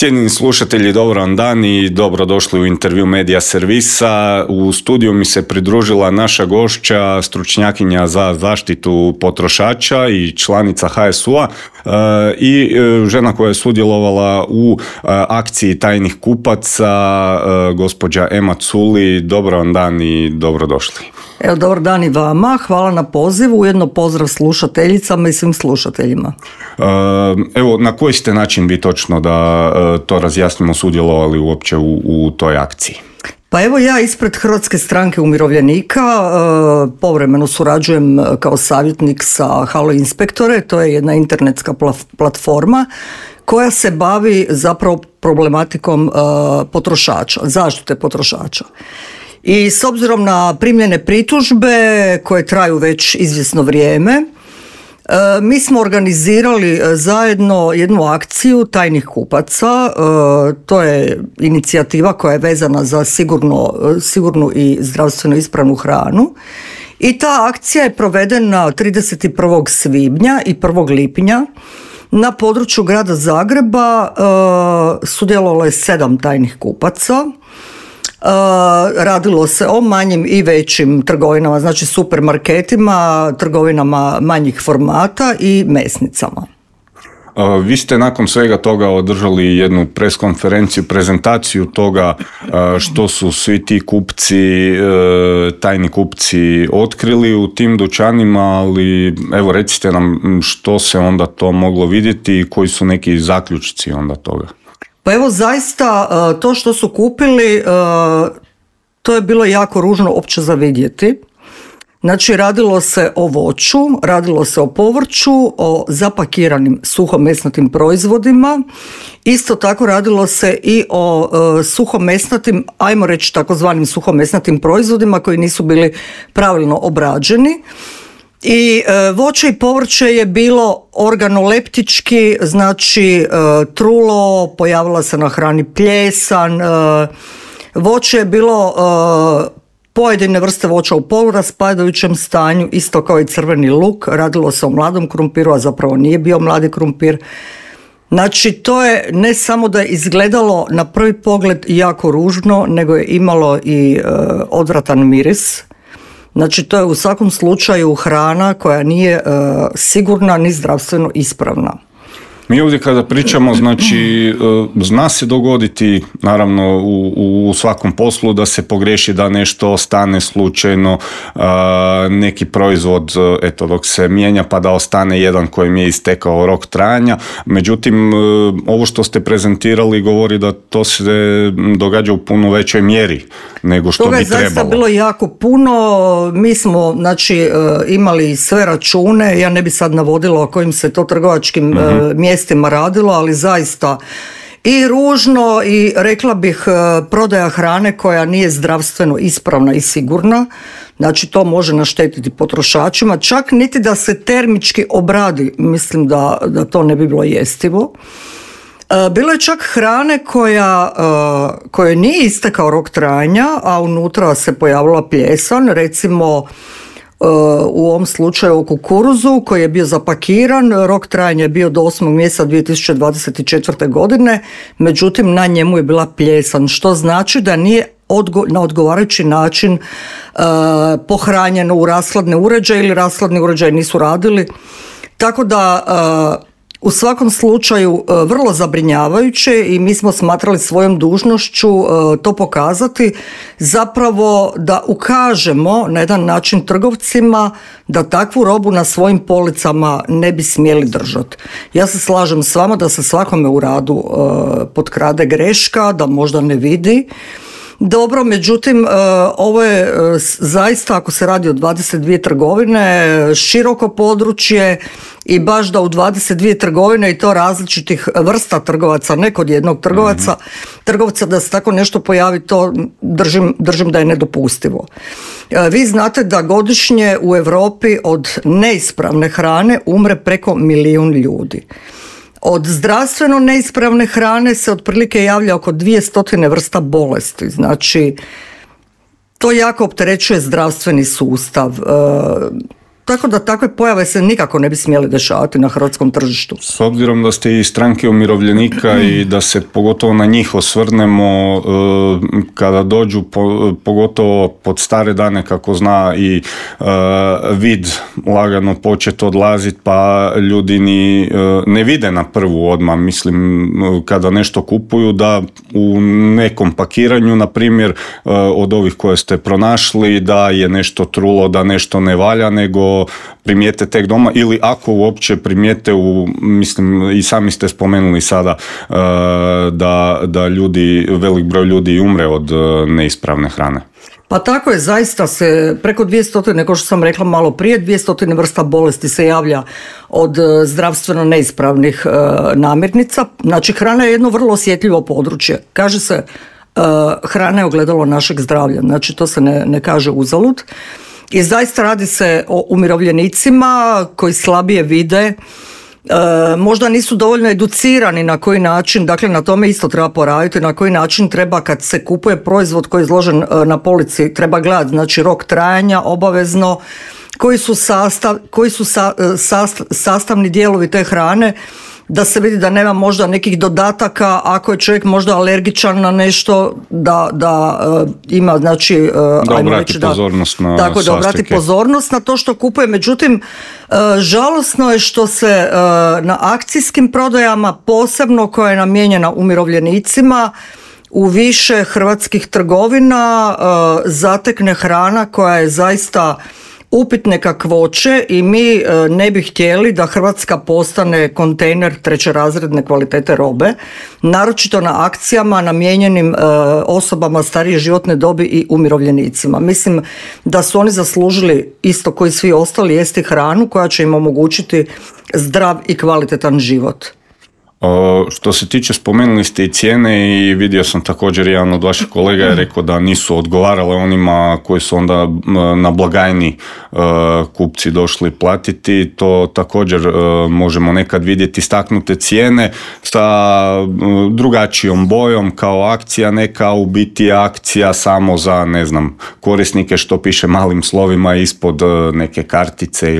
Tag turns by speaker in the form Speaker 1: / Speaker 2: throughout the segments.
Speaker 1: Cijenjeni slušatelji, dobar vam dan i dobrodošli u intervju Medija Servisa. U studiju mi se pridružila naša gošća, stručnjakinja za zaštitu potrošača i članica HSU-a i žena koja je sudjelovala u akciji tajnih kupaca, gospođa Ema Culi. Dobar vam dan i dobrodošli.
Speaker 2: Evo, dobar dan i vama, hvala na pozivu, ujedno pozdrav slušateljicama i svim slušateljima.
Speaker 1: Evo, na koji ste način vi točno, da to razjasnimo, sudjelovali uopće u toj akciji?
Speaker 2: Pa evo, ja ispred Hrvatske stranke umirovljenika povremeno surađujem kao savjetnik sa Halo Inspektore, to je jedna internetska platforma koja se bavi zapravo problematikom potrošača, zaštite potrošača. I s obzirom na primljene pritužbe koje traju već izvjesno vrijeme, mi smo organizirali zajedno jednu akciju tajnih kupaca. To je inicijativa koja je vezana za sigurnu i zdravstveno ispravnu hranu. I ta akcija je provedena 31. svibnja i 1. lipnja na području grada Zagreba. Sudjelovalo je 7 tajnih kupaca. Radilo se o manjim i većim trgovinama, znači supermarketima, trgovinama manjih formata i mesnicama.
Speaker 1: Vi ste nakon svega toga održali jednu preskonferenciju, prezentaciju toga što su svi ti kupci, tajni kupci otkrili u tim dućanima, ali evo recite nam što se onda to moglo vidjeti i koji su neki zaključci onda toga.
Speaker 2: Pa evo, zaista to što su kupili, to je bilo jako ružno opće za vidjeti. Znači, radilo se o voću, radilo se o povrću, o zapakiranim suhomesnatim proizvodima. Isto tako radilo se i o suhomesnatim, ajmo reći takozvanim suhomesnatim proizvodima koji nisu bili pravilno obrađeni. I voće i povrće je bilo organoleptički, znači trulo, pojavila se na hrani pljesan, voće je bilo pojedine vrste voća u poluraspadajućem stanju, isto kao i crveni luk, radilo se o mladom krumpiru, a zapravo nije bio mladi krumpir. Znači, to je ne samo da je izgledalo na prvi pogled jako ružno, nego je imalo i odvratan miris. Znači, to je u svakom slučaju hrana koja nije sigurna ni zdravstveno ispravna.
Speaker 1: Mi ovdje kada pričamo, znači, zna se dogoditi, naravno, u svakom poslu da se pogriješi, da nešto ostane slučajno, neki proizvod, eto, dok se mijenja pa da ostane jedan kojem je istekao rok trajanja. Međutim, ovo što ste prezentirali govori da to se događa u puno većoj mjeri nego što bi trebalo. Toga je zaista
Speaker 2: bilo jako puno. Mi smo, znači, imali sve račune, ja ne bi sad navodila o kojim se to trgovačkim mjestima radilo, ali zaista i ružno i rekla bih prodaja hrane koja nije zdravstveno ispravna i sigurna. Znači, to može naštetiti potrošačima, čak niti da se termički obradi, mislim da to ne bi bilo jestivo. Bilo je čak hrane koja nije istekao rok trajanja, a unutra se pojavila pljesan, recimo u ovom slučaju o kukuruzu koji je bio zapakiran, rok trajanja je bio do 8. mjeseca 2024. godine, međutim na njemu je bila pljesan, što znači da nije na odgovarajući način pohranjeno u rashladne uređaje ili rashladni uređaji nisu radili. Tako da u svakom slučaju vrlo zabrinjavajuće i mi smo smatrali svojom dužnošću to pokazati, zapravo da ukažemo na jedan način trgovcima da takvu robu na svojim policama ne bi smjeli držati. Ja se slažem s vama da se svakome u radu potkrade greška, da možda ne vidi. Dobro, međutim, ovo je zaista, ako se radi o 22 trgovine, široko područje i baš da u 22 trgovine i to različitih vrsta trgovaca, ne kod jednog trgovca da se tako nešto pojavi, to držim da je nedopustivo. Vi znate da godišnje u Europi od neispravne hrane umre preko 1 milijun ljudi. Od zdravstveno neispravne hrane se otprilike javlja oko 200 vrsta bolesti. Znači, to jako opterećuje zdravstveni sustav. tako da takve pojave se nikako ne bi smjeli dešavati na hrvatskom tržištu.
Speaker 1: S obzirom da ste iz stranke umirovljenika i da se pogotovo na njih osvrnemo, kada dođu pogotovo pod stare dane, kako zna i vid lagano početi odlaziti, pa ljudi ni ne vide na prvu odmah, mislim, kada nešto kupuju, da u nekom pakiranju, na primjer, od ovih koje ste pronašli, da je nešto trulo, da nešto ne valja, nego primijete tek doma, ili ako uopće primijete, mislim, i sami ste spomenuli sada da ljudi, velik broj ljudi umre od neispravne hrane.
Speaker 2: Pa tako je, zaista se preko 200, kao što sam rekla malo prije, 200 vrsta bolesti se javlja od zdravstveno neispravnih namirnica. Znači, hrana je jedno vrlo osjetljivo područje. Kaže se, hrana je ogledalo našeg zdravlja, znači to se ne kaže uzalud. I zaista radi se o umirovljenicima koji slabije vide, možda nisu dovoljno educirani na koji način, dakle na tome isto treba poraditi, na koji način treba kad se kupuje proizvod koji je izložen na polici, treba gledati, znači rok trajanja obavezno, koji su sastavni dijelovi te hrane, da se vidi da nema možda nekih dodataka, ako je čovjek možda alergičan na nešto, da ima, znači,
Speaker 1: da obrati pozornost na
Speaker 2: tako, da obrati pozornost na to što kupuje. Međutim, žalosno je što se na akcijskim prodajama, posebno koja je namijenjena umirovljenicima, u više hrvatskih trgovina zatekne hrana koja je zaista upitne kakvoće i mi ne bi htjeli da Hrvatska postane kontejner trećerazredne kvalitete robe, naročito na akcijama namijenjenim osobama starije životne dobi i umirovljenicima. Mislim da su oni zaslužili, isto koji svi ostali, jesti hranu koja će im omogućiti zdrav i kvalitetan život.
Speaker 1: Što se tiče, spomenuli ste i cijene i vidio sam također, jedan od vaših kolega je rekao da nisu odgovarale onima koji su onda na blagajni kupci došli platiti. To također možemo nekad vidjeti, istaknute cijene sa drugačijom bojom kao akcija, neka u biti akcija samo za, ne znam, korisnike, što piše malim slovima ispod neke kartice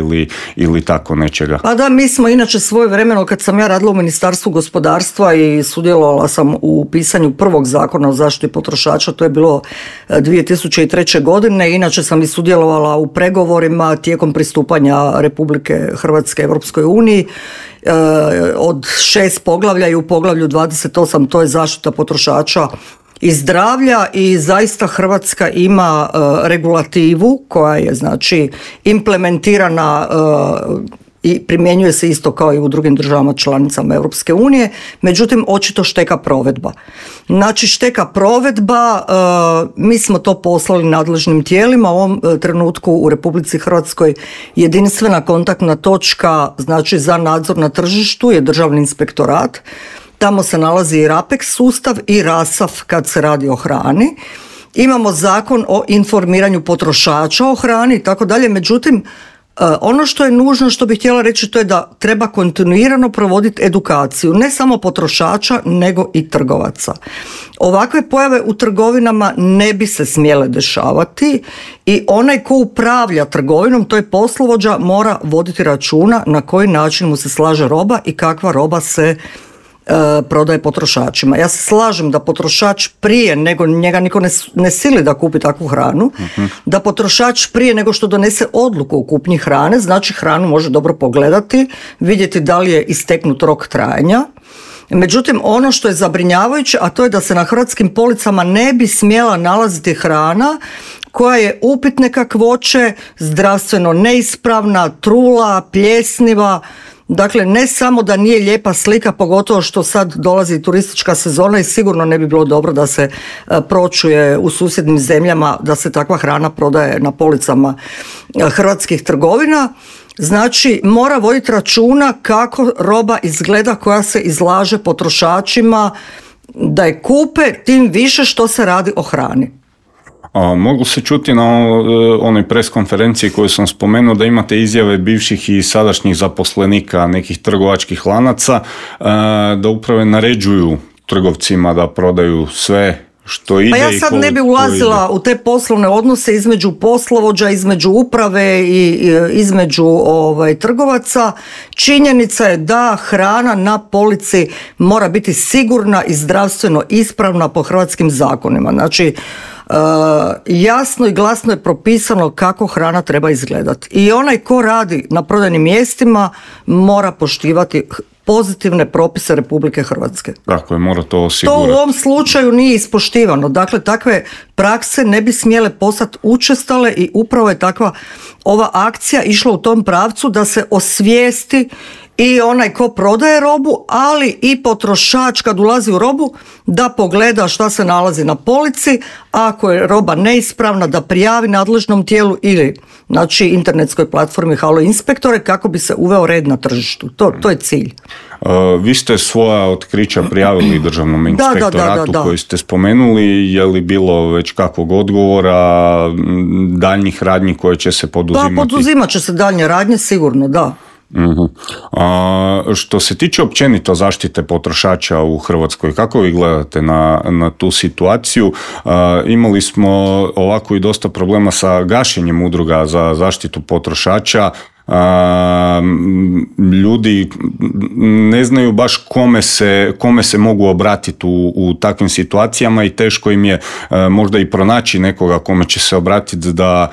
Speaker 1: ili tako nečega.
Speaker 2: Pa da, mi smo inače svojevremeno, kad sam ja radila u Ministarstvu gospodarstva i sudjelovala sam u pisanju prvog zakona o zaštiti potrošača, to je bilo 2003. godine, inače sam i sudjelovala u pregovorima tijekom pristupanja Republike Hrvatske Europskoj uniji, od 6 poglavlja i u poglavlju 28 to je zaštita potrošača i zdravlja, i zaista Hrvatska ima regulativu koja je, znači, implementirana i primjenjuje se isto kao i u drugim državama članicama Europske unije, međutim očito šteka provedba. Znači šteka provedba, mi smo to poslali nadležnim tijelima, u ovom trenutku u Republici Hrvatskoj jedinstvena kontaktna točka, znači za nadzor na tržištu, je Državni inspektorat. Tamo se nalazi i RAPEX sustav i RASAF kad se radi o hrani. Imamo zakon o informiranju potrošača o hrani i tako dalje, međutim ono što je nužno, što bih htjela reći, to je da treba kontinuirano provoditi edukaciju, ne samo potrošača, nego i trgovaca. Ovakve pojave u trgovinama ne bi se smjele dešavati i onaj ko upravlja trgovinom, to je poslovođa, mora voditi računa na koji način mu se slaže roba i kakva roba se prodaje potrošačima. Ja se slažem da potrošač prije nego njega niko ne sili da kupi takvu hranu, da potrošač prije nego što donese odluku o kupnji hrane, znači hranu može dobro pogledati, vidjeti da li je isteknut rok trajanja. Međutim, ono što je zabrinjavajuće, a to je da se na hrvatskim policama ne bi smjela nalaziti hrana koja je upitne kakvoće, zdravstveno neispravna, trula, pljesniva. Dakle, ne samo da nije lijepa slika, pogotovo što sad dolazi turistička sezona i sigurno ne bi bilo dobro da se pročuje u susjednim zemljama da se takva hrana prodaje na policama hrvatskih trgovina. Znači, mora voditi računa kako roba izgleda koja se izlaže potrošačima da je kupe, tim više što se radi o hrani.
Speaker 1: Mogu se čuti na onoj pres konferenciji koju sam spomenuo da imate izjave bivših i sadašnjih zaposlenika nekih trgovačkih lanaca da upravo naređuju trgovcima da prodaju sve što ide.
Speaker 2: Pa ja sad ne bi ulazila u te poslovne odnose između poslovođa, između uprave i između trgovaca. Činjenica je da hrana na polici mora biti sigurna i zdravstveno ispravna po hrvatskim zakonima. Znači, jasno i glasno je propisano kako hrana treba izgledati. I onaj ko radi na prodajnim mjestima mora poštivati pozitivne propise Republike Hrvatske.
Speaker 1: Tako je, mora to osigurati.
Speaker 2: To u ovom slučaju nije ispoštivano. Dakle, takve prakse ne bi smjele postati učestale i upravo je takva ova akcija išla u tom pravcu da se osvijesti i onaj ko prodaje robu, ali i potrošač kad ulazi u robu da pogleda šta se nalazi na polici, ako je roba neispravna da prijavi nadležnom tijelu ili znači internetskoj platformi Halo inspektore kako bi se uveo red na tržištu. To je cilj.
Speaker 1: Vi ste svoja otkrića prijavili Državnom inspektoratu koji ste spomenuli. Je li bilo već kakvog odgovora, daljnjih radnji koje će se poduzimati?
Speaker 2: Da, poduzimat će se daljnje radnje, sigurno, da.
Speaker 1: Što se tiče općenito zaštite potrošača u Hrvatskoj, kako vi gledate na tu situaciju? Imali smo ovako i dosta problema sa gašenjem udruga za zaštitu potrošača. Ljudi ne znaju baš kome se mogu obratiti u takvim situacijama i teško im je možda i pronaći nekoga kome će se obratiti da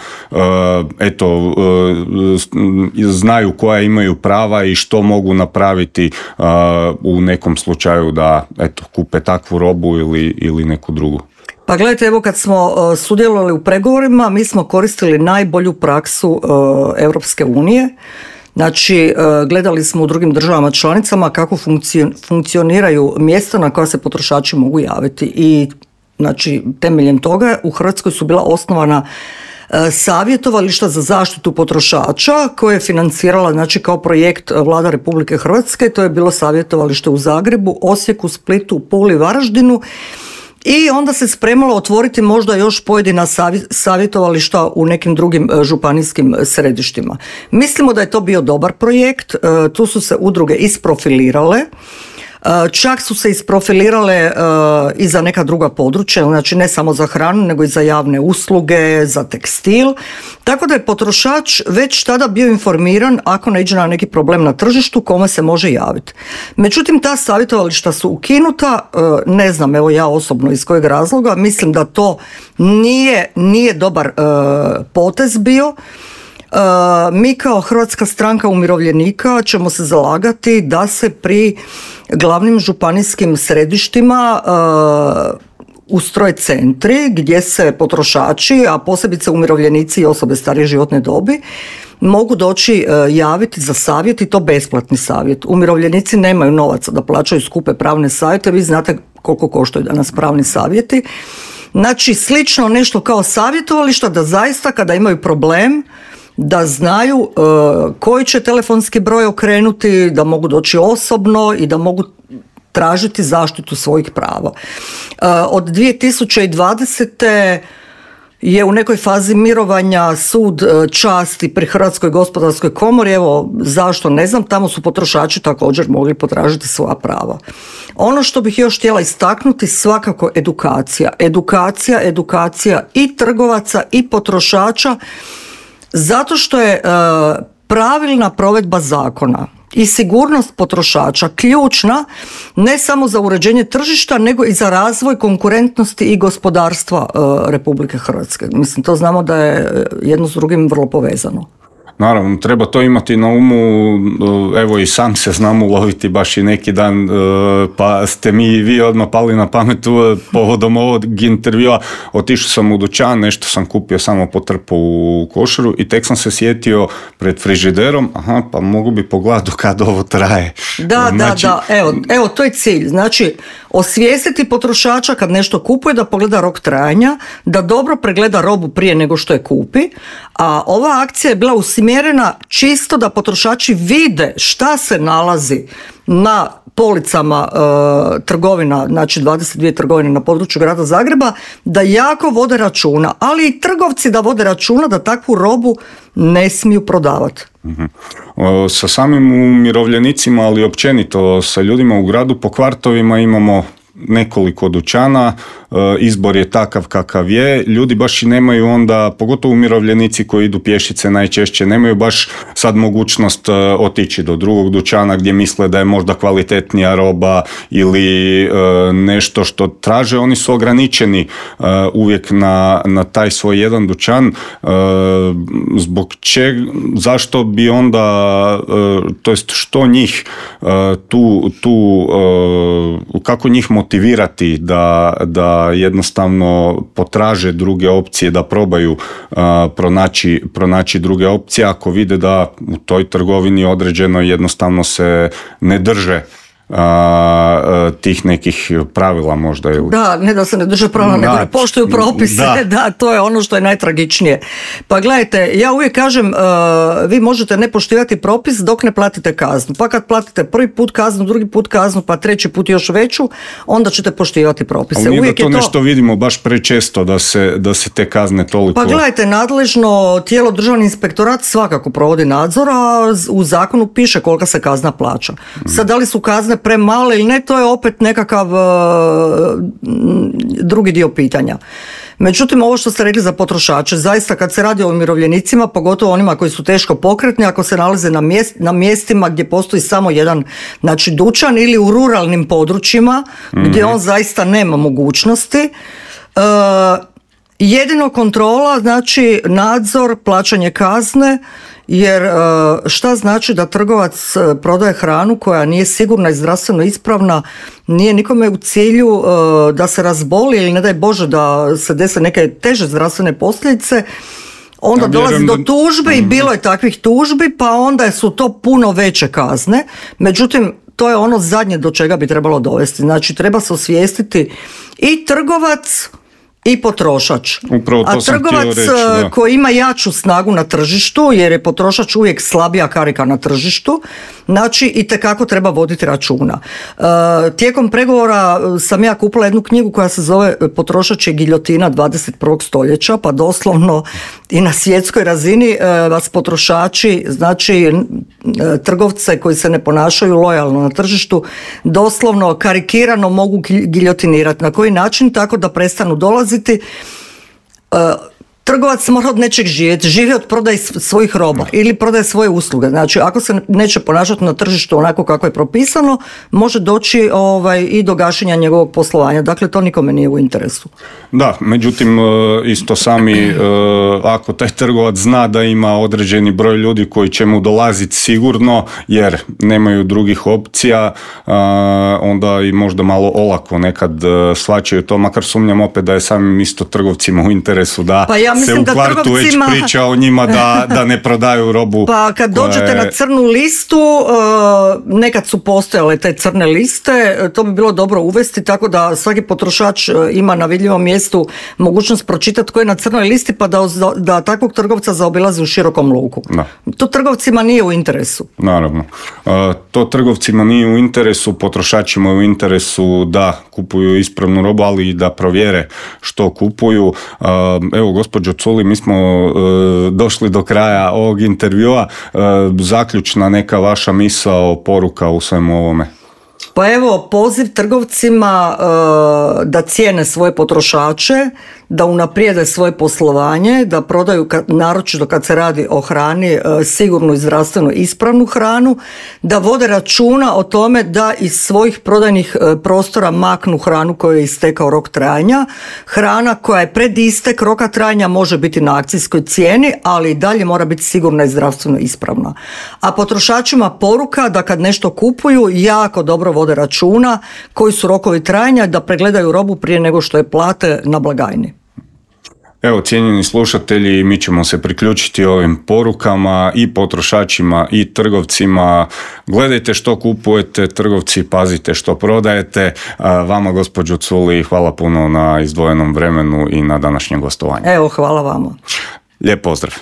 Speaker 1: znaju koja imaju prava i što mogu napraviti u nekom slučaju da kupe takvu robu ili neku drugu.
Speaker 2: Pa gledajte, evo kad smo sudjelovali u pregovorima, mi smo koristili najbolju praksu Europske unije. Znači, gledali smo u drugim državama članicama kako funkcioniraju mjesta na koja se potrošači mogu javiti. I znači, temeljem toga u Hrvatskoj su bila osnovana savjetovališta za zaštitu potrošača koje je financirala znači kao projekt Vlada Republike Hrvatske. To je bilo savjetovalište u Zagrebu, Osijeku, Splitu, Puli, Varaždinu. I onda se spremalo otvoriti možda još pojedina savjetovališta u nekim drugim županijskim središtima. Mislimo da je to bio dobar projekt, tu su se udruge isprofilirale, čak su se isprofilirale i za neka druga područja, znači ne samo za hranu, nego i za javne usluge, za tekstil, tako da je potrošač već tada bio informiran ako naiđe na neki problem na tržištu kome se može javiti. Međutim, ta savjetovališta su ukinuta, ne znam, evo ja osobno iz kojeg razloga, mislim da to nije dobar potez bio. Mi kao Hrvatska stranka umirovljenika ćemo se zalagati da se pri glavnim županijskim središtima ustroje centri gdje se potrošači, a posebice umirovljenici i osobe starije životne dobi, mogu doći javiti za savjet i to besplatni savjet. Umirovljenici nemaju novaca da plaćaju skupe pravne savjete, vi znate koliko koštaju danas pravni savjeti. Znači, slično nešto kao savjetovališta da zaista kada imaju problem da znaju koji će telefonski broj okrenuti, da mogu doći osobno i da mogu tražiti zaštitu svojih prava. Od 2020. je u nekoj fazi mirovanja sud časti pri Hrvatskoj gospodarskoj komori, evo zašto ne znam, tamo su potrošači također mogli potražiti svoja prava. Ono što bih još htjela istaknuti, svakako edukacija i trgovaca i potrošača, zato što je pravilna provedba zakona i sigurnost potrošača ključna ne samo za uređenje tržišta, nego i za razvoj konkurentnosti i gospodarstva Republike Hrvatske. Mislim, to znamo da je jedno s drugim vrlo povezano.
Speaker 1: Naravno, treba to imati na umu, evo i sam se znam uloviti baš i neki dan, pa ste mi i vi odmah pali na pamet povodom ovog intervjua. Otišao sam u dućan, nešto sam kupio samo po trpu u košaru i tek sam se sjetio pred frižiderom, pa mogu bi pogledati kad ovo traje.
Speaker 2: Da, evo to je cilj. Znači, osvijestiti potrošača kad nešto kupuje da pogleda rok trajanja, da dobro pregleda robu prije nego što je kupi, a ova akcija je bila usmjerena čisto da potrošači vide šta se nalazi na policama trgovina, znači 22 trgovine na području grada Zagreba, da jako vode računa, ali i trgovci da vode računa da takvu robu ne smiju prodavati.
Speaker 1: Sa samim umirovljenicima, ali općenito sa ljudima u gradu po kvartovima imamo nekoliko dućana, izbor je takav kakav je, ljudi baš i nemaju onda, pogotovo umirovljenici koji idu pješice najčešće, nemaju baš sad mogućnost otići do drugog dućana gdje misle da je možda kvalitetnija roba ili nešto što traže. Oni su ograničeni uvijek na taj svoj jedan dućan. Zbog čega, zašto bi onda, to jest što njih kako njih motivirati da jednostavno potraže druge opcije, da probaju pronaći druge opcije ako vide da u toj trgovini određeno jednostavno se ne drže tih nekih pravila možda. Ili...
Speaker 2: Da, ne da se ne drže pravila, nego ne poštuju propise. Da, to je ono što je najtragičnije. Pa gledajte, ja uvijek kažem, vi možete ne poštivati propis dok ne platite kaznu. Pa kad platite prvi put kaznu, drugi put kaznu, pa treći put još veću, onda ćete poštivati propise.
Speaker 1: Ali uvijek da to nešto vidimo baš prečesto da se te kazne toliko...
Speaker 2: Pa gledajte, nadležno tijelo Državni inspektorat svakako provodi nadzor, a u zakonu piše kolika se kazna plaća. Sad, da li su kazne premale ili ne, to je opet nekakav drugi dio pitanja. Međutim, ovo što ste rekli za potrošače, zaista kad se radi o umirovljenicima, pogotovo onima koji su teško pokretni, ako se nalaze na mjestima gdje postoji samo jedan, znači, dućan ili u ruralnim područjima gdje on zaista nema mogućnosti, jedino kontrola, znači nadzor, plaćanje kazne, jer šta znači da trgovac prodaje hranu koja nije sigurna i zdravstveno ispravna, nije nikome u cilju da se razboli ili ne daj Bože da se dese neke teže zdravstvene posljedice, onda dolazi do tužbe i bilo je takvih tužbi, pa onda su to puno veće kazne. Međutim, to je ono zadnje do čega bi trebalo dovesti. Znači, treba se osvijestiti i trgovac i potrošač. A trgovac koji ima jaču snagu na tržištu, jer je potrošač uvijek slabija karika na tržištu, znači itekako treba voditi računa. Tijekom pregovora sam ja kupila jednu knjigu koja se zove Potrošač je giljotina 21. stoljeća, pa doslovno i na svjetskoj razini vas potrošači, znači trgovce koji se ne ponašaju lojalno na tržištu, doslovno karikirano mogu giljotinirati. Na koji način? Tako da prestanu dolaziti. Trgovac mora od nečeg živjeti, živi od prodaje svojih roba ili prodaje svoje usluge. Znači, ako se neće ponašati na tržištu onako kako je propisano, može doći i do gašenja njegovog poslovanja. Dakle, to nikome nije u interesu.
Speaker 1: Da, međutim, isto sami, ako taj trgovac zna da ima određeni broj ljudi koji će mu dolaziti sigurno, jer nemaju drugih opcija, onda i možda malo olako nekad shvaćaju to, makar sumnjam opet da je samim isto trgovcima u interesu da se u kvartu već priča o njima da ne prodaju robu.
Speaker 2: Pa kad dođete na crnu listu, nekad su postojale te crne liste, to bi bilo dobro uvesti, tako da svaki potrošač ima na vidljivom mjestu mogućnost pročitati tko je na crnoj listi, pa da takvog trgovca zaobilazi u širokom luku. Da. To trgovcima nije u interesu.
Speaker 1: Naravno. To trgovcima nije u interesu, potrošačima je u interesu da kupuju ispravnu robu, ali i da provjere što kupuju. Evo, gospođo Culi, mi smo došli do kraja ovog intervjua. Zaključna neka vaša misao, poruka u svemu ovome?
Speaker 2: Pa evo, poziv trgovcima da cijene svoje potrošače, da unaprijede svoje poslovanje, da prodaju, naročito kad se radi o hrani, sigurnu i zdravstveno ispravnu hranu, da vode računa o tome da iz svojih prodajnih prostora maknu hranu kojoj je istekao rok trajanja. Hrana koja je pred istek roka trajanja može biti na akcijskoj cijeni, ali i dalje mora biti sigurna i zdravstveno ispravna. A potrošačima poruka da kad nešto kupuju, jako dobro vode računa koji su rokovi trajanja, da pregledaju robu prije nego što je plate na blagajni.
Speaker 1: Evo, cijenjeni slušatelji, mi ćemo se priključiti ovim porukama i potrošačima i trgovcima. Gledajte što kupujete, trgovci, pazite što prodajete. Vama, gospođo Culi, hvala puno na izdvojenom vremenu i na današnjem gostovanju.
Speaker 2: Evo, hvala vama.
Speaker 1: Lijep pozdrav.